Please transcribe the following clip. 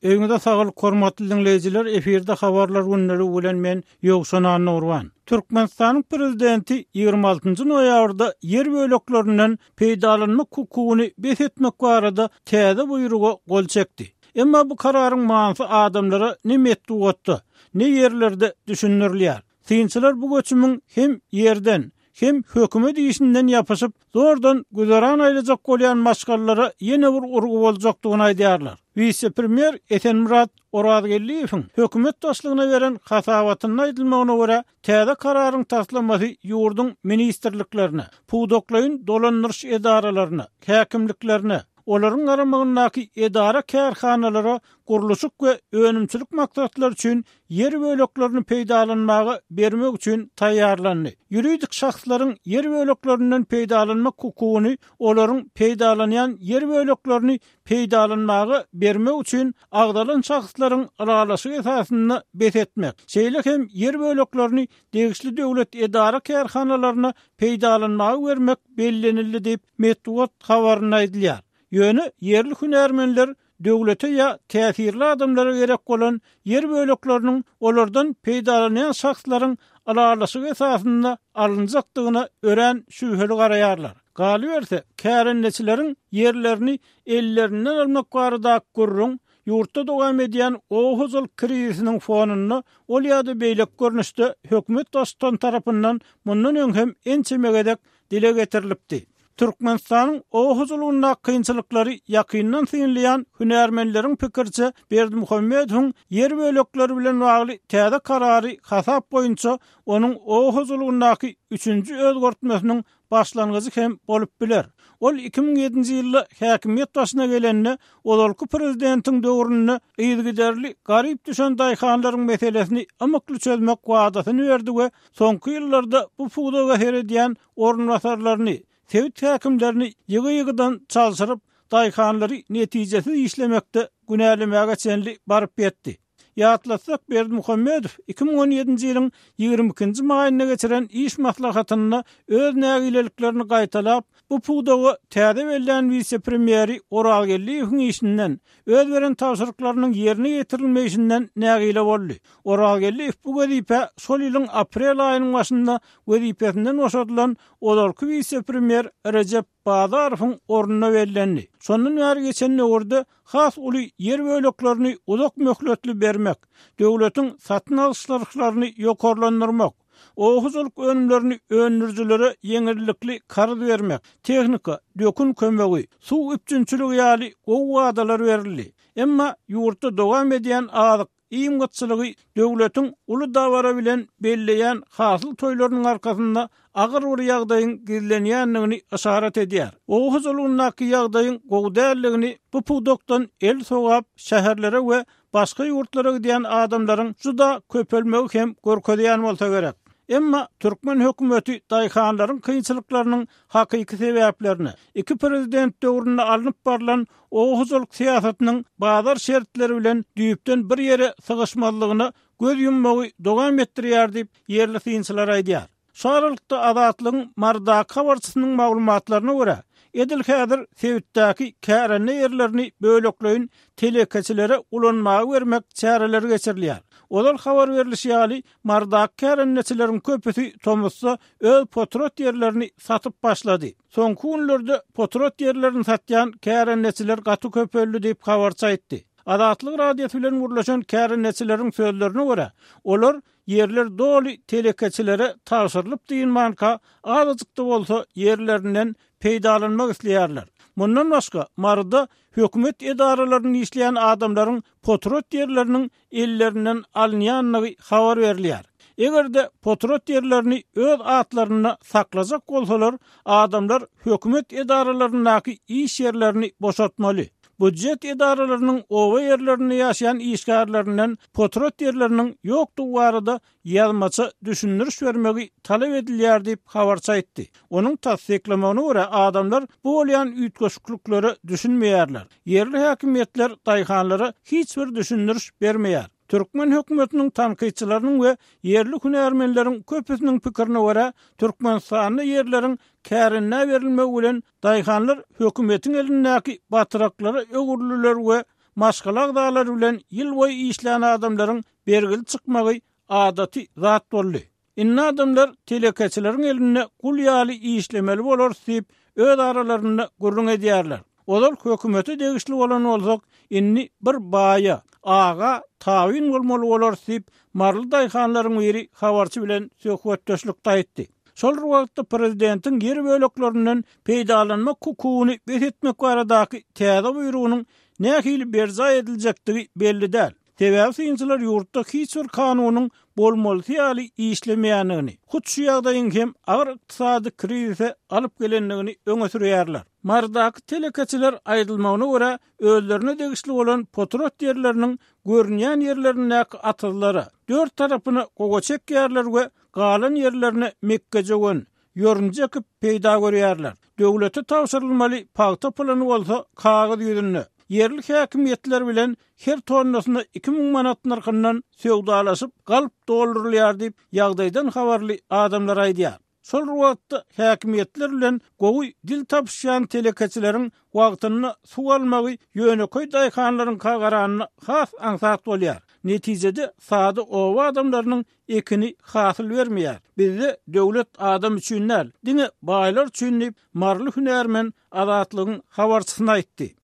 Öýüňize saglyk hormatly diňleýjiler efirde habarlar gündeligi bilen men Ýowşan Annagurban. Türkmenistanyň Prezidenti 26-njy noýabrda ýer böleklerinden peýdalanmak hukugyny bes etmek barada täze buýruga gol çekdi. Emma bu kararyň manysy adamlara ne metbugatda, ne ýerlerde düşündirilýär. Synçylar bu göçümiň hem ýerden, hem hökümet işinden ýapyşyp, zordan güzeran aýlajak bolýan maşgalalara ýene bir urgy boljakdygyny aýdýarlar. Wise-premýer Esenmyrat Orazgeldiýewiň hökümet başlygyna beren hasabatynda aýdylmagyna görä, täze kararyň taslamasy ýurduň ministrliklerine, pudaklaýyn dolandyryş edaralaryna, häkimliklerine, olaryň garamagyndaky edara-kärhanalara gurluşyk we önümçilik maksatlary üçin ýer böleklerini peýdalanmaga bermek üçin taýýarlandy. Ýuridik şahslaryň ýer böleklerinden peýdalanmak hukugyny olaryň peýdalanýan ýer böleklerini peýdalanmaga bermek üçin agzalan şahslaryň ylalaşygy esasynda bes etmek, şeýle hem ýer böleklerini degişli döwlet edara-kärhanalaryna peýdalanmaga bermek bellenildi diýip, metbugat habarynda aýdylýar. Ýöne ýerli hünärmenler döwlete ýa täsirli adamlara gerek bolan ýer bölekleriniň olardan peýdalanýan şahslaryň ylalaşygy esasynda alynjakdygyna örän şübheli garaýarlar. Galyberse, kärendeçileriň ýerlerini ellerinden almak baradaky gürrüň ýurtda dowam edýän oba hojalyk krizisiniň fonunda ol ýa-da beýleki görnüşde hökümet baştutany tarapyndan mundan öň hem ençeme gezek dile getirilipdi. Türkmenistanyň oba hojalygyndaky kynçylyklary ýakyndan synlaýan hünärmenleriň pikiriçe, Berdimuhamedowyň ýer bölekleri bilen bagly täze karary hasap boýunça onuň oba hojalygyndaky üçünji özgertmesiniň başlangyjy hem bolup biler. Ol 2007-nji ýylda häkimiýet başyna gelende, ozalky prezidentiň döwründe yzygiderli garyp düşen daýhanlaryň meselesini ymykly çözmek wadasyny berdi we soňky ýyllarda bu pudaga seredýän orunbasarlaryny, sebit häkimlerini ýygy-ýygydan çalşyryp, daýhanlary netijesiz işlemekde günälemäge çenli baryp ýetdi. Ýatlatsak, Berdimuhamedow 2017-nji ýylyň 22-nji maýynda geçiren iş maslahatynda öz nägileliklerini gaýtalap, bu pudaga täze bellän wise-premýeri Orazgeldiýewiň işinden, öz beren tabşyryklarynyň ýerine ýetirilmeýşinden nägile boldy. Orazgeldiýew bu wezipä şol ýylyň aprel aýynyň başynda wezipesinden boşadylan ozalky wise-premýer Rejep Bazarowyň ornuna bellendi. Şondan bäri geçen döwürde has uly ýer böleklerini uzak möhletli bermek, döwletiň satyn alyş nyrhlaryny ýokarlandyrmak, oba hojalyk önümlerini öndürijilere ýeňillikli karz bermek, tehnika, dökün kömegi, suw üpjünçiligi ýaly gowy wadalar berildi. Emma ýurtda dowam edýän azyk Iým gytçylygy döwletiň uly dabara bilen belleýän hasyl toýlarynyň arkasynda agyr bir ýagdaýyň gizlenýändigini yşarat edýär. Oba hojalygyndaky ýagdaýyň gowy däldigini bu pudakdan el sogap şäherlere we başga ýurtlara gidýän adamlaryň juda köpelmegi hem görkezýän bolsa gerek. Emma türkmen hökümeti daýhanlaryň kynçylyklarynyň hakyky sebäplerine, iki prezident döwründe alnyp barlan oba hojalyk syýasatynyň bazar şertleri bilen düýpden bir ýere sygyşmazlygyna göz ýummagy dowam etdirýär diýip, ýerli synçylar aýdýar. Şu aralykda, Azatlygyň Marydaky habarçysynyň maglumatlaryna görä, edil häzir sebitdäki kärende ýerlerini bölekleýin telekeçilere ulanmaga bermek çäreleri geçirilýär. Ozal habar berlişi ýaly, Marydaky kärendeçileriň köpüsi tomusda öz potrat ýerlerini satyp başlady. Soňky günlerde potrat ýerlerini satýan kärendeçiler gaty köpeldi diýip, habarçy aýtdy. Azatlyk Radiosy bilen gürleşen kärendeçileriň sözlerine görä, olar ýerler doly telekeçilere tabşyrylyp dynmanka, azajyk-da bolsa ýerlerinden peýdalanmak isleýärler. Mundan başga, Maryda hökümet edaralarynda işleýän adamlaryň potrat ýerleriniň ellerinden alynýandygy habar berilýär. Eger-de potrat ýerlerini öz atlarynda saklajak bolsalar, adamlar hökümet edaralaryndaky iş ýerlerini boşatmaly. Býujet edaralarynyň oba ýerlerinde ýaşaýan işgärlerinden potrat ýerleriniň ýokdugy barada ýazmaça düşündiriş bermegi talap edilýär diýip, habarçy aýtdy. Onuň tassyklamagyna görä, adamlar bu bolýan üýtgeşikliklere düşünmeýärler. Ýerli häkimiýetler daýhanlara hiç bir düşündiriş bermeýär. Türkmen hökümetiniň tankytçylarynyň we ýerli hünärmenleriň köpüsiniň pikirine görä, Türkmenistanda ýerleriň kärendä berilmegi bilen daýhanlar hökümetiň elindäki batraklara öwrüldiler we. maşgala agzalary bilen ýyl boýy işlän adamlaryň bergili çykmagy adaty zat boldy. Indi adamlar telekeçileriň elinde gul ýaly işlemeli bolarys diýip, öz aralarynda gürrüň edýärler. Ozal hökümete degişli bolan bolsak, indi bir baýa, aga tabyn bolmaly bolarys diýip, maryly daýhanlaryň biri habarçy bilen söhbetdeşlikde aýtdy. Şol bir wagtda prezidentiň ýer böleklerinden peýdalanmak hukugyny bes etmek baradaky täze buýrugynyň nähili berjaý ediljekdigi belli däl. Sebäbi synçylar ýurtda hiç bir kanunyň bolmalysy ýaly işlemeýändigini, hut şu ýagdaýyň hem agyr ykdysady krizise alyp gelendigini öňe sürýärler. Marydaky telekeçiler aýdylmagyna görä, özlerine degişli bolan potrat ýerleriniň görünýän ýerlerindäki atyzlara, dört tarapyna gowaça ekýärler we galan ýerlerine mekgejöwen, ýorunja ekip peýda görýärler. Döwlete tabşyrylmaly pagta puluny bolsa kagyz ýüzünde, ýerli häkimiýetler bilen her tonnasyna 2000 manat nyrhyndan söwdalaşyp, galp doldurylýar diýip, ýagdaýdan habarly adamlar aýdýar. Şol bir wagtda, häkimiýetler bilen gowy dil tapyşýan telekeçileriň wagtynda suw almagy ýönekeý daýhanlaryňka garanda has aňsat bolýar. Netijede, sada oba adamlarynyň ekini hasyl bermeýär. Bizde döwlet adam üçin däl, diňe baýlar üçin diýip, maryly hünärmen Azatlygyň habarçysyna aýtdy.